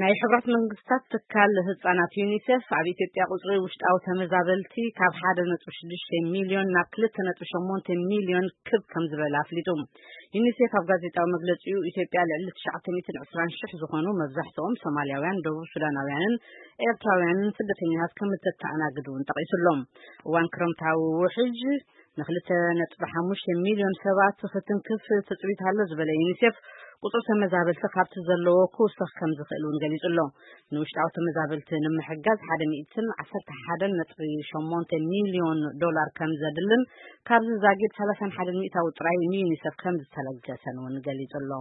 ናይ ሕብረት መንግስታት ትካል ህጻናት ዩኒሴፍ ኣብ ኢትዮጵያ ቁጽሪ ውሽጣዊ ተመዛበልቲ ካብ ሓደ ነጥቢ ሽዱሽተ ሚልዮን ናብ ክልተ ነጥቢ ሸሞንተ ሚልዮን ክብ ከም ዝበለ ኣፍሊጡ። ዩኒሴፍ ኣብ ጋዜጣዊ መግለጺኡ፣ ኢትዮጵያ ልዕሊ ትሽዓተ ሚእትን ዕስራን ሽሕ ዝኾኑ፣ መብዛሕትኦም ሶማልያውያን፣ ደቡብ ሱዳናውያንን ኤርትራውያንን ስደተኛታት ከም እተተኣናግድ እውን ጠቒሱሎም። እዋን ክረምታዊ ውሕጅ ንክልተ ነጥቢ ሓሙሽተ ሚልዮን ሰባት ክትንክፍ ትጽቢት ኣሎ ዝበለ ዩኒሴፍ፣ ቁጽሪ ተመዛበልቲ ካብቲ ዘለዎ ክውሰኽ ከም ዝኽእል እውን ገሊጹ ኣሎ። ንውሽጣዊ ተመዛበልቲ ንምሕጋዝ ሓደ ሚእትን ዓሰርተ ሓደን ነጥቢ ሸሞንተ ሚልዮን ዶላር ከም ዘድልን፣ ካብዚ ዛጊድ ሰላሳን ሓደን ሚእታዊ ጥራይ ንዩኒሴፍ ከም ዝተለገሰን እውን ገሊጹ ኣሎ።